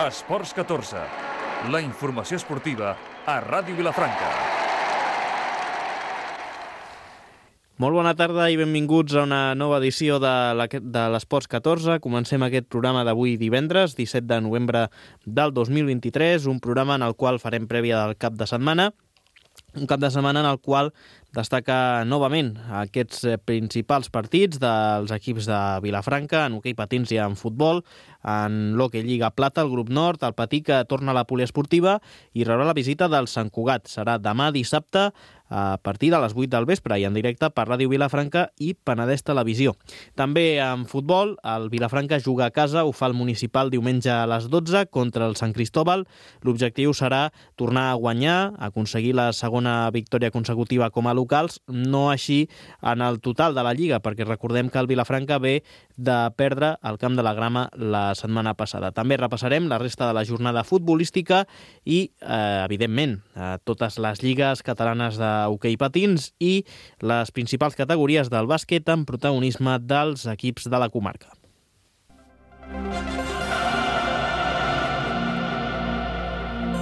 Esports 14, la informació esportiva a Ràdio Vilafranca. Molt bona tarda i benvinguts a una nova edició de l'Esports 14. Comencem aquest programa d'avui divendres, 17 de novembre del 2023, un programa en el qual farem prèvia del cap de setmana, un cap de setmana en el qual destaca novament aquests principals partits dels equips de Vilafranca, en hoquei patins i en futbol, en l'hoquei Lliga Plata, el grup nord, el patí que torna a la poliesportiva i rebrà la visita del Sant Cugat. Serà demà dissabte a partir de les 8 del vespre i en directe per Ràdio Vilafranca i Penedès Televisió. També en futbol, el Vilafranca juga a casa, ho fa el municipal diumenge a les 12 contra el Sant Cristóbal. L'objectiu serà tornar a guanyar, aconseguir la segona victòria consecutiva com a locals, no així en el total de la Lliga, perquè recordem que el Vilafranca ve de perdre al Camp de la Grama la setmana passada. També repassarem la resta de la jornada futbolística i, evidentment, totes les lligues catalanes d'hoquei patins i les principals categories del bàsquet amb protagonisme dels equips de la comarca.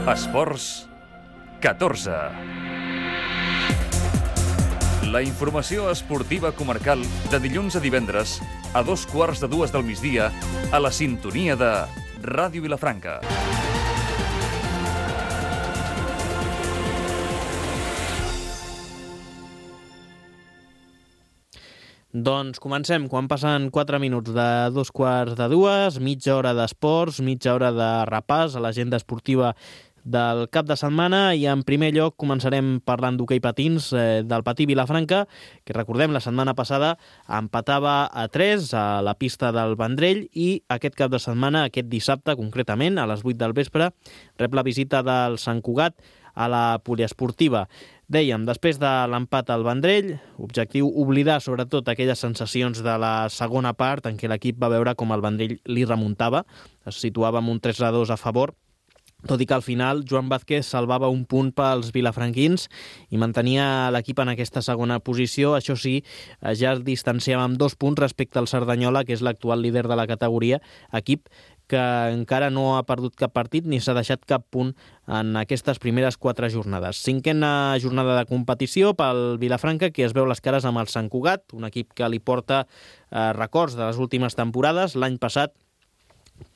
Esports 14. La informació esportiva comarcal de dilluns a divendres a 2:15 del migdia a la sintonia de Ràdio Vilafranca. Doncs comencem, quan passen 4 minuts de 2:15, mitja hora d'esports, mitja hora de repàs a l'agenda esportiva del cap de setmana i en primer lloc començarem parlant d'hoquei patins del Patí Vilafranca, que recordem la setmana passada empatava a 3 a la pista del Vendrell i aquest cap de setmana, aquest dissabte concretament, a les 8 del vespre, rep la visita del Sant Cugat a la poliesportiva. Dèiem, després de l'empat al Vendrell, objectiu oblidar sobretot aquelles sensacions de la segona part en què l'equip va veure com el Vendrell li remuntava, es situava amb un 3-2 a favor, tot i que al final Joan Vázquez salvava un punt pels vilafranquins i mantenia l'equip en aquesta segona posició. Això sí, ja es distanciava amb 2 punts respecte al Cerdanyola, que és l'actual líder de la categoria, equip que encara no ha perdut cap partit ni s'ha deixat cap punt en aquestes primeres 4 jornades. 5a jornada de competició pel Vilafranca, que es veu les cares amb el Sant Cugat, un equip que li porta records de les últimes temporades. L'any passat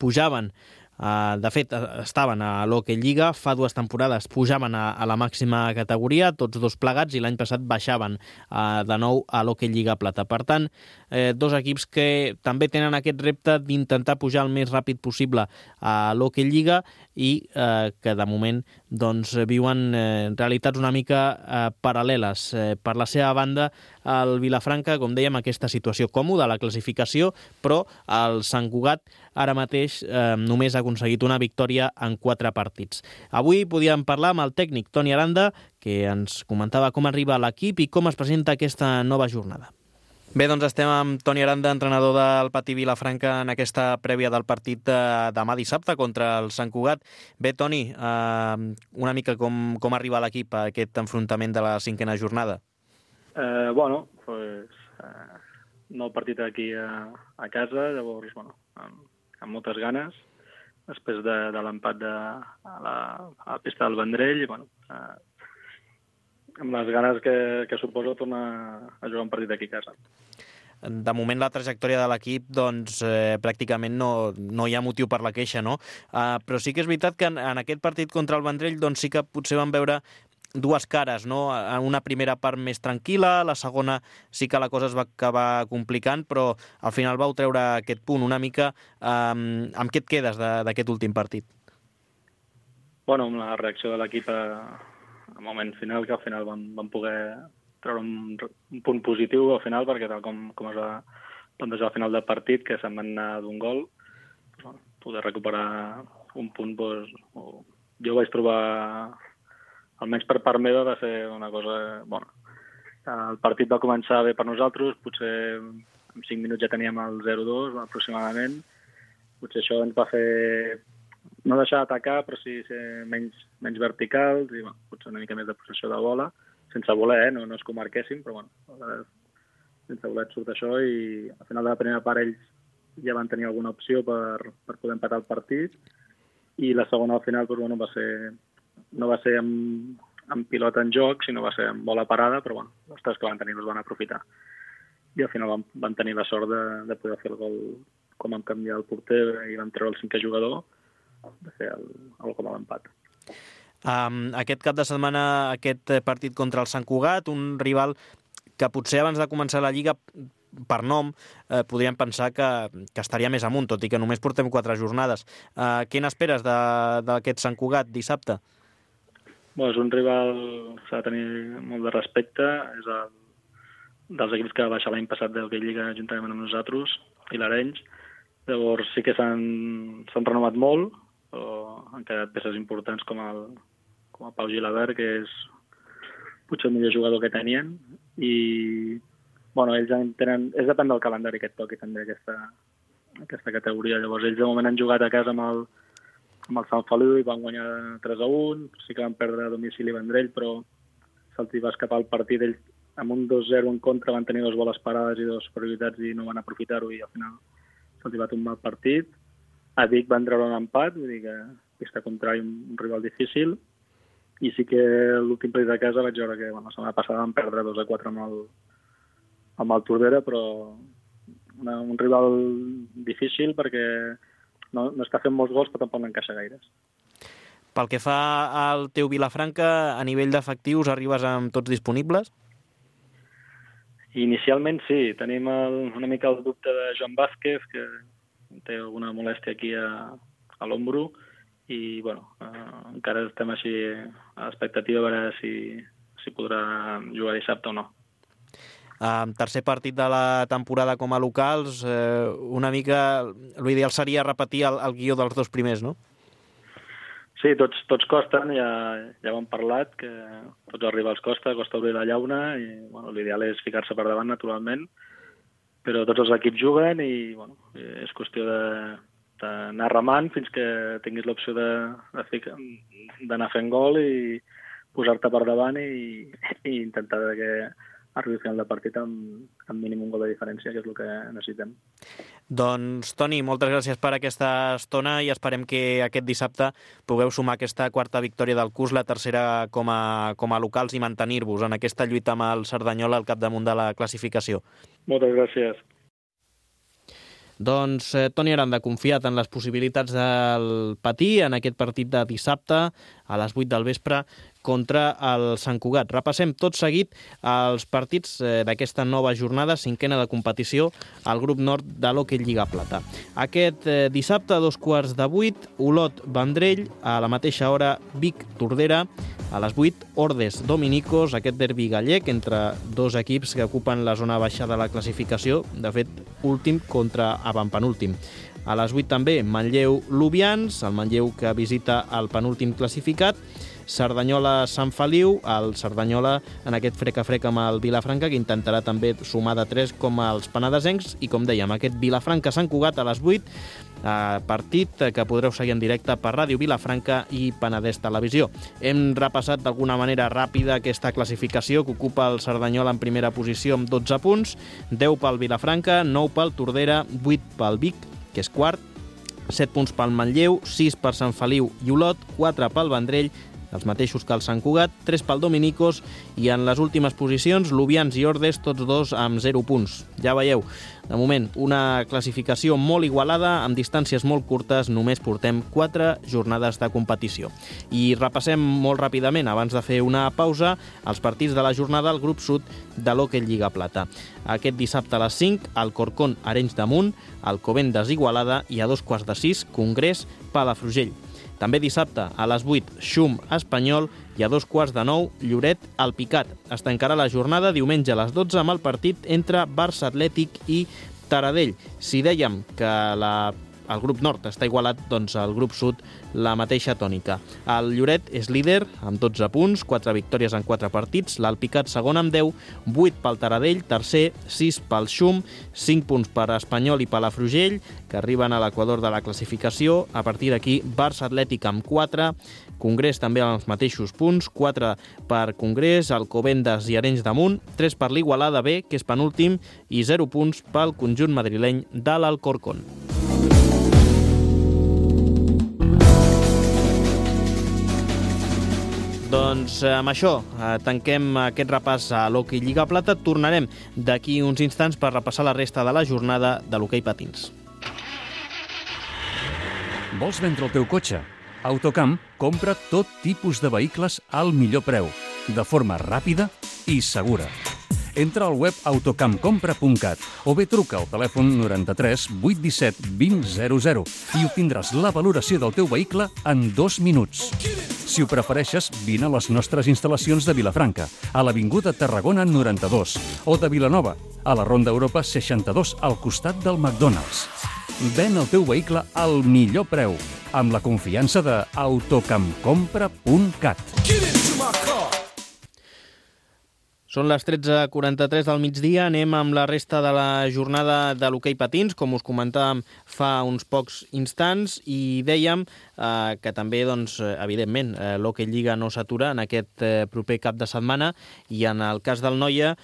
pujaven, de fet estaven a l'hoquei Lliga, fa 2 temporades pujaven a la màxima categoria, tots dos plegats, i l'any passat baixaven de nou a l'hoquei Lliga Plata. Per tant, 2 equips que també tenen aquest repte d'intentar pujar el més ràpid possible a l'hoquei Lliga i que de moment doncs, viuen realitats una mica paral·leles. Per la seva banda, el Vilafranca, com dèiem, aquesta situació còmoda a la classificació, però el Sant Cugat ara mateix només ha aconseguit una victòria en 4 partits. Avui podíem parlar amb el tècnic Toni Aranda, que ens comentava com arriba l'equip i com es presenta aquesta nova jornada. Bé, doncs estem amb Toni Aranda, entrenador del Patí Vilafranca, en aquesta prèvia del partit de demà dissabte contra el Sant Cugat. Bé, Toni, una mica com arriba l'equip a aquest enfrontament de la 5a jornada? Bueno, pues, nou partit aquí a casa, llavors, bueno, amb moltes ganes, després de l'empat a la pista del Vendrell, i, bueno, amb les ganes que suposa tornar a jugar un partit aquí a casa. De moment la trajectòria de l'equip doncs, pràcticament no hi ha motiu per la queixa, no? Però sí que és veritat que en aquest partit contra el Vendrell doncs, sí que potser vam veure 2 cares, no? Una primera part més tranquil·la, la segona sí que la cosa es va acabar complicant, però al final vau treure aquest punt una mica. Amb què et quedes d'aquest últim partit? Bueno, amb la reacció de l'equip al moment final, que al final vam poder treure un punt positiu al final, perquè tal com es va plantejar al final del partit, que se'n van anar d'un gol, doncs, poder recuperar un punt, doncs, jo vaig trobar, almenys per part meva, va ser una cosa bona. El partit va començar bé per nosaltres, potser en 5 minuts ja teníem el 0-2 aproximadament, potser això ens va fer no deixar d'atacar, però sí ser menys verticals i potser una mica més de possessió de bola, sense voler, no és que ho marquéssim, però sense voler surt això, i al final de la primera part ells ja van tenir alguna opció per poder empatar el partit, i la segona al final no va ser amb pilota en joc, sinó va ser amb bola parada, però els 3 que van tenir els van aprofitar. I al final van tenir la sort de poder fer el gol com vam canviar el porter i vam treure el 5è jugador, de fer el gol a l'empat. Aquest cap de setmana, aquest partit contra el Sant Cugat, un rival que potser abans de començar la Lliga, per nom, podríem pensar que estaria més amunt, tot i que només portem 4 jornades. Què n'esperes d'aquest Sant Cugat dissabte? És un rival que s'ha de tenir molt de respecte, és dels equips que va baixar l'any passat de la Lliga juntament amb nosaltres i l'Arenys. Llavors sí que s'han renovat molt, però han quedat peces importants com el Pau Gilabert, que és potser el millor jugador que tenien, i ells tenen... És depèn del calendari que et toqui també aquesta categoria. Llavors ells de moment han jugat a casa amb el Sant Feliu i van guanyar 3-1, sí que van perdre a domicili Vendrell, però se'ls va escapar el partit. Ells amb un 2-0 en contra van tenir 2 boles parades i 2 prioritats i no van aprofitar-ho, i al final se'ls va tombar el partit. A Vic van treure un empat, vull dir que pista contrari, un rival difícil, i sí que l'últim partit de casa vaig veure que la setmana passada van perdre 2-4 amb el Tordera, però un rival difícil perquè no està fent molts gols, però tampoc n'encaixa gaires. Pel que fa al teu Vilafranca, a nivell d'efectius arribes amb tots disponibles? Inicialment sí, tenim una mica el dubte de Joan Vázquez, que té alguna molèstia aquí a l'ombro, i encara estem així a l'expectativa a veure si podrà jugar dissabte o no. Tercer partit de la temporada com a locals, una mica l'ideal seria repetir el guió dels 2 primers, no? Sí, tots costen, ja ho hem parlat, que tots els rivals costa obrir la llauna, i l'ideal és ficar-se per davant naturalment, però tots els equips juguen i és qüestió d'anar remant fins que tinguis l'opció d'anar fent gol i posar-te per davant i intentar que arribi al final de partit amb mínim un gol de diferència, que és el que necessitem. Doncs, Toni, moltes gràcies per aquesta estona i esperem que aquest dissabte pugueu sumar aquesta 4ª victòria del curs, la tercera com a locals, i mantenir-vos en aquesta lluita amb el Cerdanyola al capdamunt de la classificació. Moltes gràcies. Doncs Toni Aranda, confiat en les possibilitats del Patí en aquest partit de dissabte a les 8 del vespre contra el Sant Cugat. Repassem tot seguit els partits d'aquesta nova jornada, 5ª de competició al grup nord de l'Hockey Lliga Plata. Aquest dissabte, a 7:15, Olot-Vendrell, a la mateixa hora Vic-Tordera, a les 8, Ordes-Dominicos, aquest derbi gallec entre 2 equips que ocupen la zona baixa de la classificació, de fet, últim contra avantpenúltim. A les 8 també, Manlleu-Lubians, el Manlleu que visita el penúltim classificat, Cerdanyola-Sant Feliu, el Cerdanyola en aquest frec-a-frec amb el Vilafranca, que intentarà també sumar de 3 com els penedesencs, i com dèiem, aquest Vilafranca-Sant Cugat a les 8, partit que podreu seguir en directe per Ràdio Vilafranca i Penedès Televisió. Hem repassat d'alguna manera ràpida aquesta classificació que ocupa el Cerdanyola en primera posició amb 12 punts, 10 pel Vilafranca, 9 pel Tordera, 8 pel Vic, que és quart, 7 punts pel Manlleu, 6 per Sant Feliu i Olot, 4 pel Vendrell, els mateixos que el Sant Cugat, 3 pel Dominicos, i en les últimes posicions, Lubians i Ordes, tots 2 amb 0 punts. Ja veieu, de moment, una classificació molt igualada, amb distàncies molt curtes, només portem 4 jornades de competició. I repassem molt ràpidament, abans de fer una pausa, els partits de la jornada al grup sud de l'Hockey Lliga Plata. Aquest dissabte a les 5, Alcorcón, Arenys de Munt, Alcobendas, Igualada, i a 5:15, Congrés, Palafrugell. També dissabte, a les 8, Xum, Espanyol, i a 8:15, Lloret, Alpicat. Es tancarà la jornada diumenge a les 12 amb el partit entre Barça Atlètic i Taradell. Si dèiem que el grup nord està igualat, doncs el grup sud la mateixa tònica. El Lloret és líder amb 12 punts, 4 victòries en 4 partits, l'Alpicat segon amb 10, 8 pel Taradell, tercer, 6 pel Xum, 5 punts per Espanyol i Palafrugell, que arriben a l'equador de la classificació. A partir d'aquí, Barça Atlètic amb 4, Congrés també amb els mateixos punts, 4 per Congrés, Alcobendas i Arenys de Munt, 3 per l'Igualada B, que és penúltim, i 0 punts pel conjunt madrileny de l'Alcorcón. Doncs amb això tanquem aquest repàs a l'Hockey Lliga Plata. Tornarem d'aquí uns instants per repassar la resta de la jornada de l'hoquei patins. Vols vendre el teu cotxe? Autocamp compra tot tipus de vehicles al millor preu, de forma ràpida i segura. Entra al web autocampcompra.cat o bé truca al telèfon 93 817 2000 i obtindràs la valoració del teu vehicle en 2 minuts. Si ho prefereixes, vine a les nostres instal·lacions de Vilafranca, a l'Avinguda Tarragona 92, o de Vilanova, a la Ronda Europa 62, al costat del McDonald's. Ven el teu vehicle al millor preu, amb la confiança de autocampcompra.cat. Són les 13:43 del migdia, anem amb la resta de la jornada de l'hoquei patins, com us comentàvem fa uns pocs instants, i dèiem que també, doncs, evidentment, l'Hockey Lliga no s'atura en aquest proper cap de setmana, i en el cas del Noia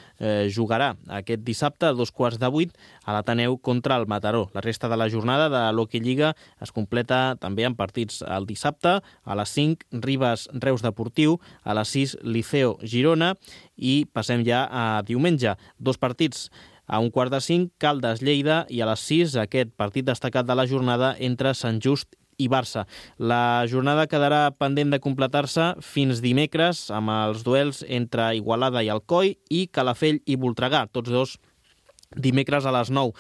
jugarà aquest dissabte a 7:15 a l'Ateneu contra el Mataró. La resta de la jornada de l'Hockey Lliga es completa també amb partits el dissabte, a les 5, Ribes Reus Deportiu, a les 6, Liceo Girona, i passem ja a diumenge. 2 partits a 4:45, Caldes Lleida, i a les 6 aquest partit destacat de la jornada entre Sant Just i Barça. La jornada quedarà pendent de completar-se fins dimecres amb els duels entre Igualada i Alcoi i Calafell i Voltregà, tots dos dimecres a les 9.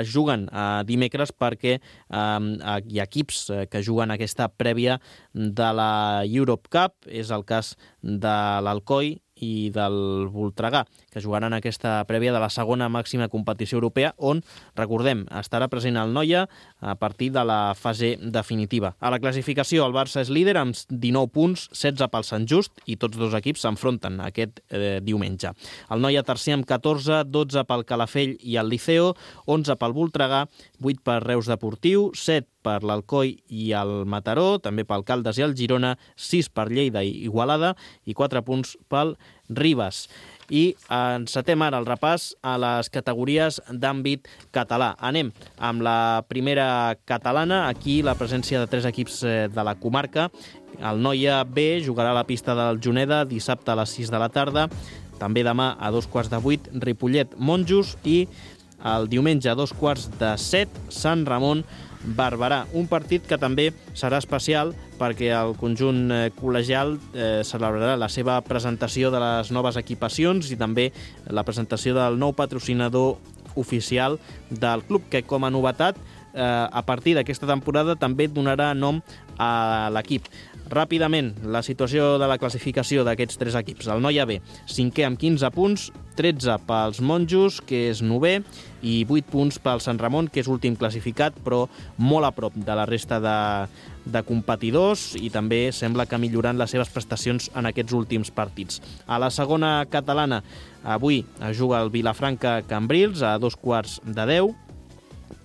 Juguen dimecres perquè hi ha equips que juguen aquesta prèvia de la Europe Cup. És el cas de l'Alcoi i del Voltregà, que jugaran aquesta prèvia de la segona màxima competició europea, on, recordem, estarà present el Noia a partir de la fase definitiva. A la classificació, el Barça és líder amb 19 punts, 16 pel Sant Just, i tots dos equips s'enfronten aquest diumenge. El Noia tercer amb 14, 12 pel Calafell i el Liceo, 11 pel Voltregà, 8 per Reus Deportiu, 7 per l'Alcoi i el Mataró, també pel Caldes i el Girona, 6 per Lleida i Igualada i 4 punts pel Ribes. I encetem ara el repàs a les categories d'àmbit català. Anem amb la primera catalana. Aquí la presència de 3 equips de la comarca. El Noia B jugarà a la pista del Juneda dissabte a les 6 de la tarda. També demà a 7:15, Ripollet Monjos, i el diumenge a 7:15, Sant Ramon Barberà. Un partit que també serà especial perquè el conjunt col·legial celebrarà la seva presentació de les noves equipacions i també la presentació del nou patrocinador oficial del club, que com a novetat a partir d'aquesta temporada també donarà nom a l'equip. Ràpidament, la situació de la classificació d'aquests 3 equips. El Noia B, 5è amb 15 punts, 13 pels Monjos, que és 9è, i 8 punts pel Sant Ramon, que és últim classificat, però molt a prop de la resta de competidors, i també sembla que millorant les seves prestacions en aquests últims partits. A la segona catalana, avui juga el Vilafranca Cambrils a 9:15,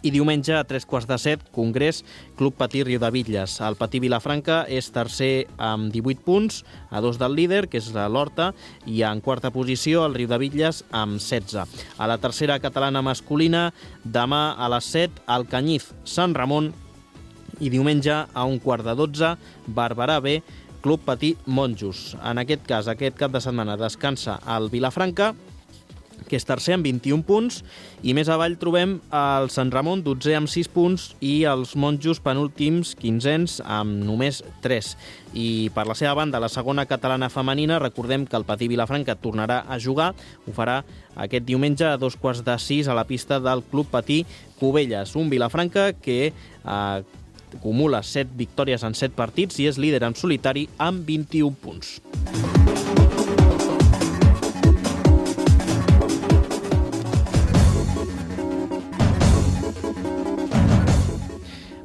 i diumenge a 7:15, Congrés Club Patí Riudebitlles. El Patí Vilafranca és tercer amb 18 punts, a 2 del líder, que és l'Horta, i en quarta posició el Riudebitlles amb 16. A la tercera catalana masculina, demà a les 7, el Canyif Sant Ramon, i diumenge a 11:15, Barberà B, Club Patí Monjos. En aquest cas, aquest cap de setmana descansa el Vilafranca, que és tercer amb 21 punts, i més avall trobem el Sant Ramon, 12è amb 6 punts, i els Monjos penúltims, 15ens, amb només 3. I per la seva banda, la segona catalana femenina, recordem que el Patí Vilafranca tornarà a jugar, ho farà aquest diumenge a 5:15 a la pista del Club Patí Cubelles. Un Vilafranca que acumula 7 victòries en 7 partits i és líder en solitari amb 21 punts.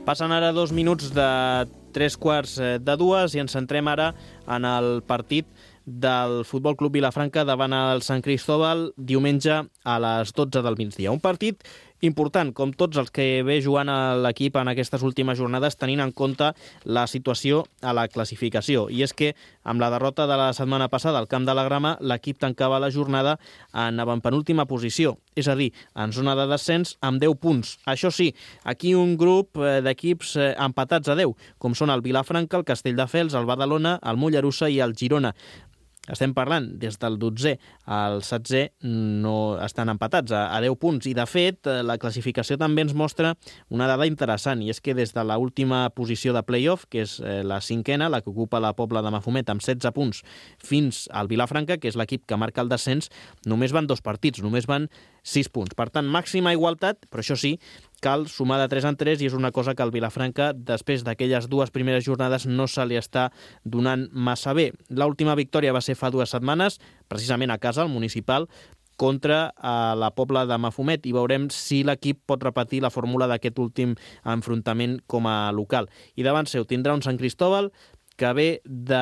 Passen ara 2 minuts de 3:15 i ens centrem ara en el partit del Futbol Club Vilafranca davant el Sant Cristóbal diumenge a les 12 del migdia. Un partit important, com tots els que ve jugant a l'equip en aquestes últimes jornades, tenint en compte la situació a la classificació. I és que, amb la derrota de la setmana passada al Camp de la Grama, l'equip tancava la jornada en avantpenúltima posició, és a dir, en zona de descens amb 10 punts. Això sí, aquí un grup d'equips empatats a 10, com són el Vilafranca, el Castelldefels, el Badalona, el Mollerussa i el Girona. Estem parlant des del 12è al 16è, no estan empatats a 10 punts. I, de fet, la classificació també ens mostra una dada interessant, i és que des de l'última posició de play-off, que és la 5a, la que ocupa la Pobla de Mafumet amb 16 punts, fins al Vilafranca, que és l'equip que marca el descens, només van 2 partits, només van 6 punts. Per tant, màxima igualtat, però això sí, cal sumar de 3 en 3, i és una cosa que al Vilafranca, després d'aquelles 2 primeres jornades, no se li està donant massa bé. L'última victòria va ser fa 2 setmanes, precisament a casa, al Municipal, contra la Pobla de Mafumet, i veurem si l'equip pot repetir la fórmula d'aquest últim enfrontament com a local. I davant seu tindrà un Sant Cristóbal que ve de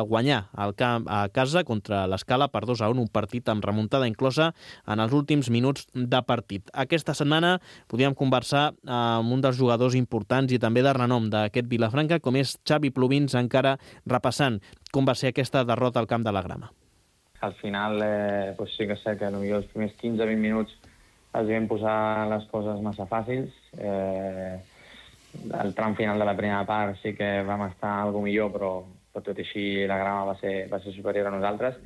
guanyar al camp a casa contra l'Escala per 2-1, un partit amb remuntada inclosa en els últims minuts de partit. Aquesta setmana podíem conversar amb un dels jugadors importants i també de renom d'aquest Vilafranca, com és Xavi Plovins, encara repassant com va ser aquesta derrota al Camp de la Grama. Al final, pues sí que sé que potser els primers 15-20 minuts els vam posar les coses massa fàcils. El tram final de la primera part sí que vam estar alguna millor, però tot i així la Grama va ser superior a nosaltres.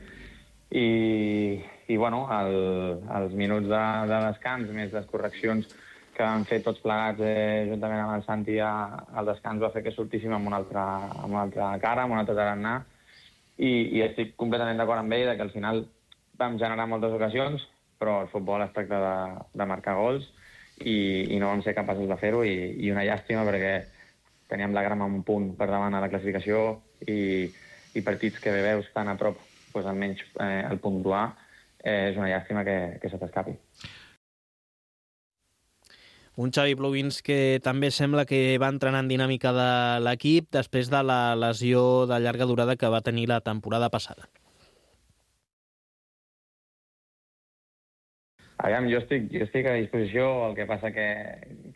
I bueno, els minuts de descans, més les correccions que vam fer tots plegats juntament amb el Santi al descans, va fer que sortíssim amb una altra cara, amb un altre tarannà. I estic completament d'acord amb ell que al final vam generar moltes ocasions, però el futbol es tracta de marcar gols, i no vam ser capaços de fer-ho, i una llàstima perquè teníem la Grama un punt per davant a la classificació, i partits que veus tan a prop, doncs almenys el puntuar, és una llàstima que se t'escapi. Un Xavi Plovins que també sembla que va entrar en dinàmica de l'equip després de la lesió de llarga durada que va tenir la temporada passada. Aviam, jo estic a disposició, el que passa que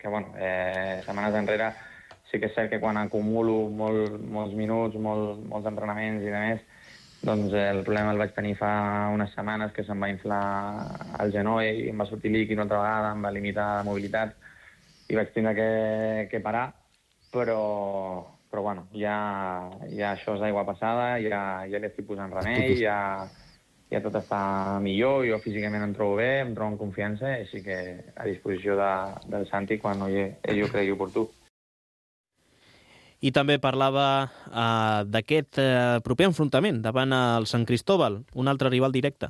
bueno, setmanes enrere sí que és cert que quan acumulo molts minuts, molts entrenaments i demés, doncs el problema el vaig tenir fa unes setmanes, que se'm va inflar el genoll i em va sortir líquid una altra vegada, em va limitar la mobilitat i vaig tindre que parar, però bueno, ja això és aigua passada, ja li estic posant remei, ja tot està millor, jo físicament em trobo bé, em trobo en confiança, així que a disposició del Santi quan ell ho cregui oportú. I també parlava d'aquest proper enfrontament davant el Sant Cristóbal, un altre rival directe.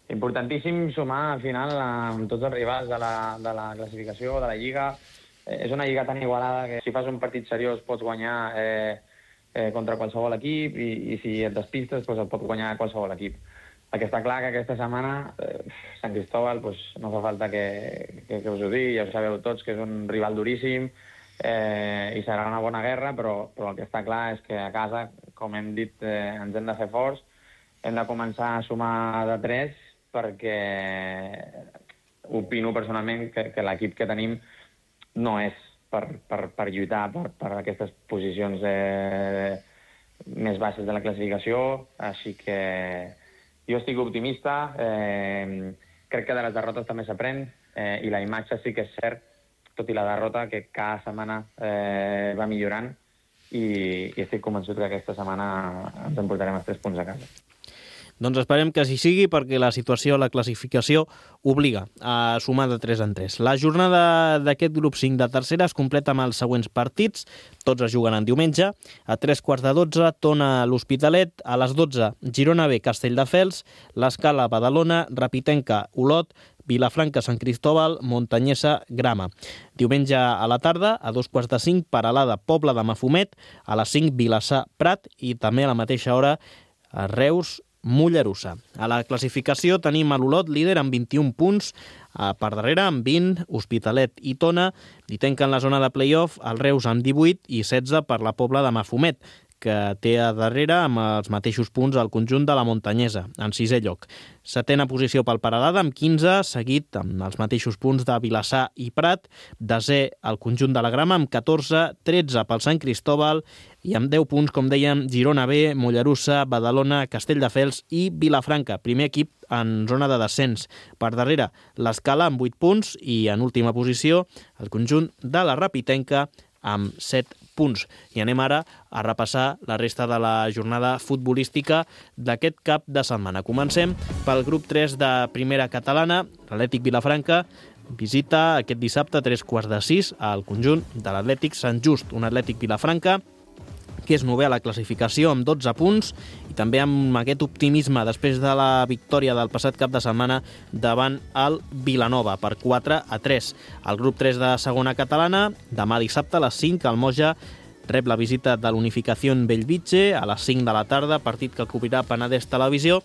Importantíssim sumar al final amb tots els rivals de la classificació, de la Lliga. És una Lliga tan igualada que si fas un partit seriós pots guanyar contra qualsevol equip, i si et despistes doncs et pot guanyar qualsevol equip. El que està clar que aquesta setmana Sant Cristóbal no fa falta que us ho digui, ja ho sabeu tots, que és un rival duríssim i serà una bona guerra, però el que està clar és que a casa, com hem dit, ens hem de fer forts, hem de començar a sumar de 3, perquè opino personalment que l'equip que tenim no és per lluitar per aquestes posicions més baixes de la classificació, així que jo estic optimista, crec que de les derrotes també s'aprèn, i la imatge sí que és cert, tot i la derrota, que cada setmana va millorant, i estic convençut que aquesta setmana ens emportarem els 3 punts a casa. Doncs esperem que així sigui, perquè la situació a la classificació obliga a sumar de 3 en 3. La jornada d'aquest grup 5 de tercera es completa amb els següents partits. Tots es jugaran diumenge. A 3:15, Tona l'Hospitalet. A les 12, Girona B, Castelldefels. l'Escala, Badalona. Rapitenca, Olot. Vilafranca, Sant Cristóbal. Montanyesa, Grama. Diumenge a la tarda, a 2:45, Peralada, Pobla de Mafumet. A les 5, Vilassar, Prat. I també a la mateixa hora, a Reus, Mollerussa. A la classificació tenim a l'Olot líder amb 21 punts, per darrere amb 20, Hospitalet i Tona, i tanquen la zona de play-off el Reus amb 18 i 16 per la Pobla de Mafumet, que té a darrere amb els mateixos punts el conjunt de la Montanyesa, en 6è lloc. 7a posició pel Peralada, amb 15, seguit amb els mateixos punts de Vilassar i Prat. 10è el conjunt de la Grama, amb 14, 13 pel Sant Cristóbal, i amb 10 punts, com dèiem, Girona B, Mollerussa, Badalona, Castelldefels i Vilafranca, primer equip en zona de descens. Per darrere, l'Escala, amb 8 punts, i en última posició, el conjunt de la Rapitenca, amb 7 punts. I anem ara a repassar la resta de la jornada futbolística d'aquest cap de setmana. Comencem pel grup 3 de Primera Catalana. L'Atlètic Vilafranca visita aquest dissabte a 3:15 al conjunt de l'Atlètic Sant Just, un Atlètic Vilafranca que és novè a la classificació amb 12 punts i també amb aquest optimisme després de la victòria del passat cap de setmana davant el Vilanova per 4-3. El grup 3 de segona catalana, demà dissabte a les 5 al Moja rep la visita de l'Unificació Bellvitge a les 5 de la tarda, partit que cobrirà Penedès Televisió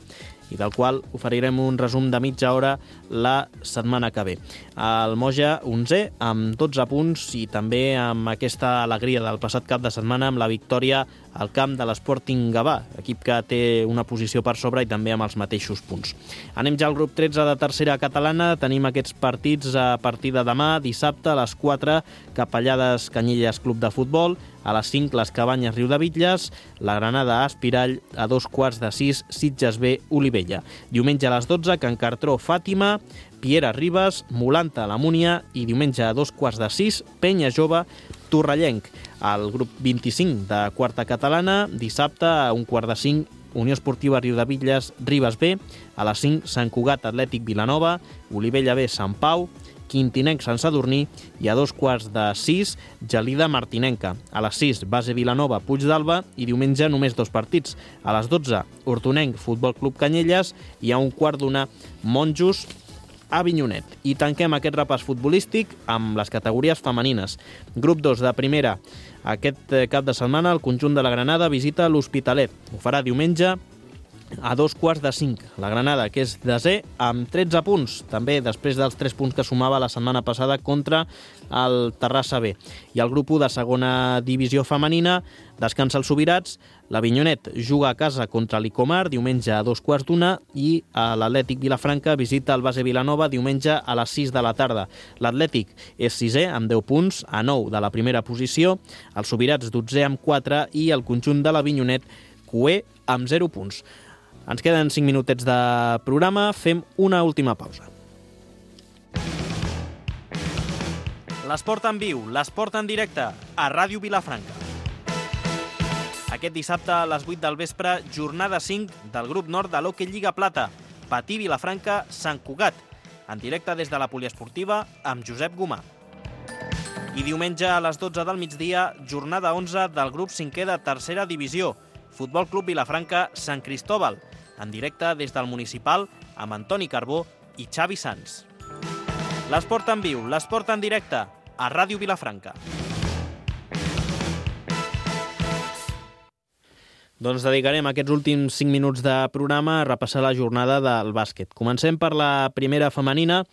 i del qual oferirem un resum de mitja hora la setmana que ve. El Moja 11è amb 12 punts i també amb aquesta alegria del passat cap de setmana amb la victòria al camp de l'Sporting Gavà, equip que té una posició per sobre i també amb els mateixos punts. Anem ja al grup 13 de tercera catalana. Tenim aquests partits a partir de demà, dissabte, a les 4, Capellades Canyelles Club de Futbol, a les 5 les Cabanyes Riudebitlles, la Granada Aspirall, a 2:15 Sitges B Olivella. Diumenge a les 12 Can Cartró Fàtima, Piera Ribes, Molanta la Múnia i diumenge a 2:15 Penya Jove Torrellenc. Al grup 25 de quarta catalana, dissabte a 1:15 Unió Esportiva Riudebitlles Ribes B, a les 5 Sant Cugat Atlètic Vilanova, Olivella B Sant Pau, Quintinenc Sant Sadurní i a 2:15 Gelida Martinenca. A les 6 Base Vilanova Puig d'Alba i diumenge només 2 partits. A les 12 Hortonenc Futbol Club Canyelles i a 1:15 Monjos Avinyonet. I tanquem aquest repàs futbolístic amb les categories femenines. Grup 2 de primera. Aquest cap de setmana el conjunt de la Granada visita l'Hospitalet. Ho farà diumenge a 2:15. La Granada, que és desè, amb 13 punts, també després dels 3 punts que sumava la setmana passada contra el Terrassa B. I el grup 1 de segona divisió femenina descansa els Subirats. L'Avinyonet juga a casa contra l'Icomar diumenge a 2:15 i l'Atlètic Vilafranca visita el Base Vilanova diumenge a les 6 de la tarda. L'Atlètic és 6è amb 10 punts, a 9 de la primera posició, els Subirats 12è amb 4 i el conjunt de l'Avinyonet cué amb 0 punts. Ens queden 5 minutets de programa, fem una última pausa. L'esport en viu, l'esport en directe, a Ràdio Vilafranca. Aquest dissabte a les 8 del vespre, jornada 5 del grup nord de l'Hockey Lliga Plata, Patí Vilafranca, Sant Cugat, en directe des de la poliesportiva amb Josep Gomà. I diumenge a les 12 del migdia, jornada 11 del grup 5è de tercera divisió, Futbol Club Vilafranca Sant Cristóbal, en directe des del municipal amb Antoni Carbó i Xavi Sans. L'esport en viu, l'esport en directe, a Ràdio Vilafranca. Doncs dedicarem aquests últims 5 minuts de programa a repassar la jornada del bàsquet. Comencem per la primera femenina.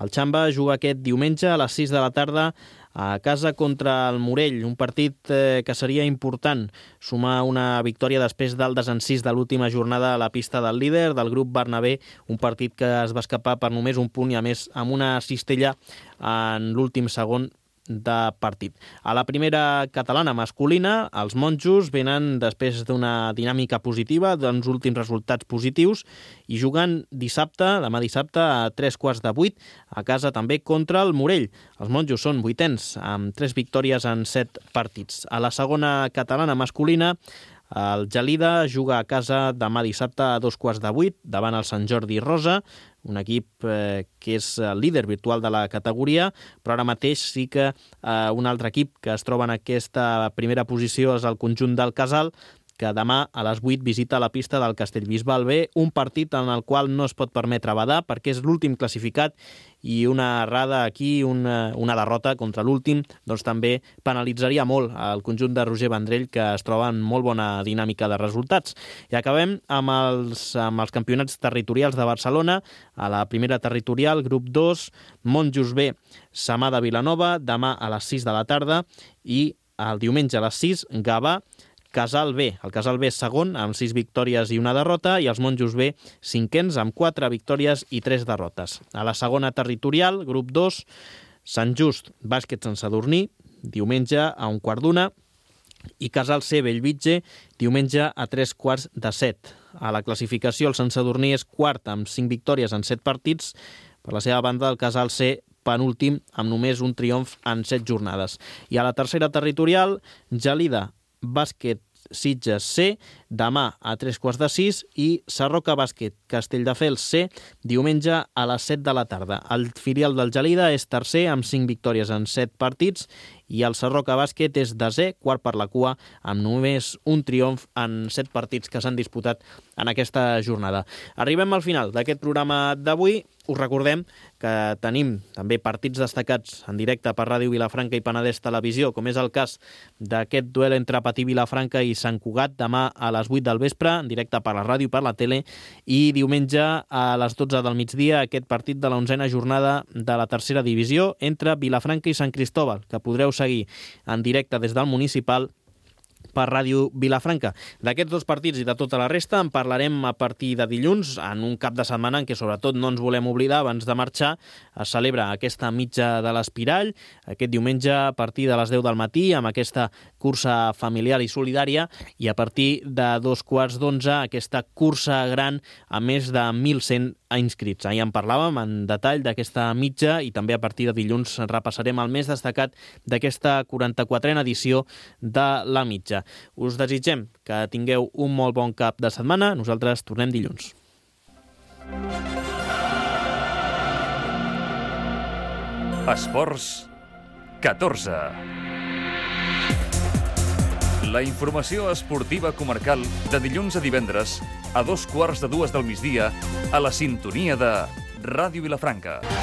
El Xamba juga aquest diumenge a les 6 de la tarda a casa contra el Morell, un partit que seria important sumar una victòria després del desencís de l'última jornada a la pista del líder del grup Bernabé, un partit que es va escapar per només un punt i a més amb una cistella en l'últim segon de partit. A la primera catalana masculina, els monjos venen després d'una dinàmica positiva, d'uns últims resultats positius, i juguen demà dissabte a 7:15 a casa també contra el Morell. Els monjos són 8ens, amb 3 victòries en 7 partits. A la segona catalana masculina, el Gelida juga a casa demà dissabte a 7:15 davant el Sant Jordi Rosa, un equip que és el líder virtual de la categoria, però ara mateix sí que un altre equip que es troba en aquesta primera posició és el conjunt del Casal, que demà a les 8 visita la pista del Castellbisbal B, un partit en el qual no es pot permetre badar perquè és l'últim classificat i una errada aquí, una derrota contra l'últim, doncs també penalitzaria molt el conjunt de Roger Vendrell, que es troba en molt bona dinàmica de resultats. I acabem amb els campionats territorials de Barcelona. A la primera territorial, grup 2, Monjos B, Samà de Vilanova, demà a les 6 de la tarda, i el diumenge a les 6, Gavà, Casal B. El Casal B és segon, amb 6 victòries i una derrota, i els Monjos B, cinquens, amb 4 victòries i 3 derrotes. A la segona territorial, grup 2, Sant Just, Bàsquet Sant Sadurní, diumenge a 1:15, i Casal C, Bellvitge, diumenge a 3:45. A la classificació, el Sant Sadurní és quart amb 5 victòries en 7 partits. Per la seva banda, el Casal C, penúltim, amb només un triomf en 7 jornades. I a la tercera territorial, Gelida, Bàsquet Sitges C, demà a 5:45, i Sarroca Bàsquet Castelldefels C, diumenge a les 7 de la tarda. El filial del Gelida és tercer amb 5 victòries en 7 partits, i el Sarroca Bàsquet és desè, quart per la cua, amb només un triomf en 7 partits que s'han disputat en aquesta jornada. Arribem al final d'aquest programa d'avui. Us recordem que tenim també partits destacats en directe per Ràdio Vilafranca i Penedès Televisió, com és el cas d'aquest duel entre Patí Vilafranca i Sant Cugat demà a les 8 del vespre, en directe per la ràdio i per la tele, i diumenge a les 12 del migdia aquest partit de la 11a jornada de la tercera divisió entre Vilafranca i Sant Cristóbal, que podreu seguir en directe des del municipal per Ràdio Vilafranca. D'aquests dos partits i de tota la resta en parlarem a partir de dilluns, en un cap de setmana en què sobretot no ens volem oblidar, abans de marxar, es celebra aquesta mitja de l'Espirall, aquest diumenge a partir de les 10 del matí, amb aquesta cursa familiar i solidària, i a partir de 2:15 aquesta cursa gran amb més de 1.100 inscrits. Ahir en parlàvem en detall d'aquesta mitja i també a partir de dilluns repassarem el més destacat d'aquesta 44a edició de la mitja. Us desitgem que tingueu un molt bon cap de setmana. Nosaltres tornem dilluns. Esports 14. La informació esportiva comarcal de dilluns a divendres a 2:15 del migdia a la sintonia de Ràdio Vilafranca.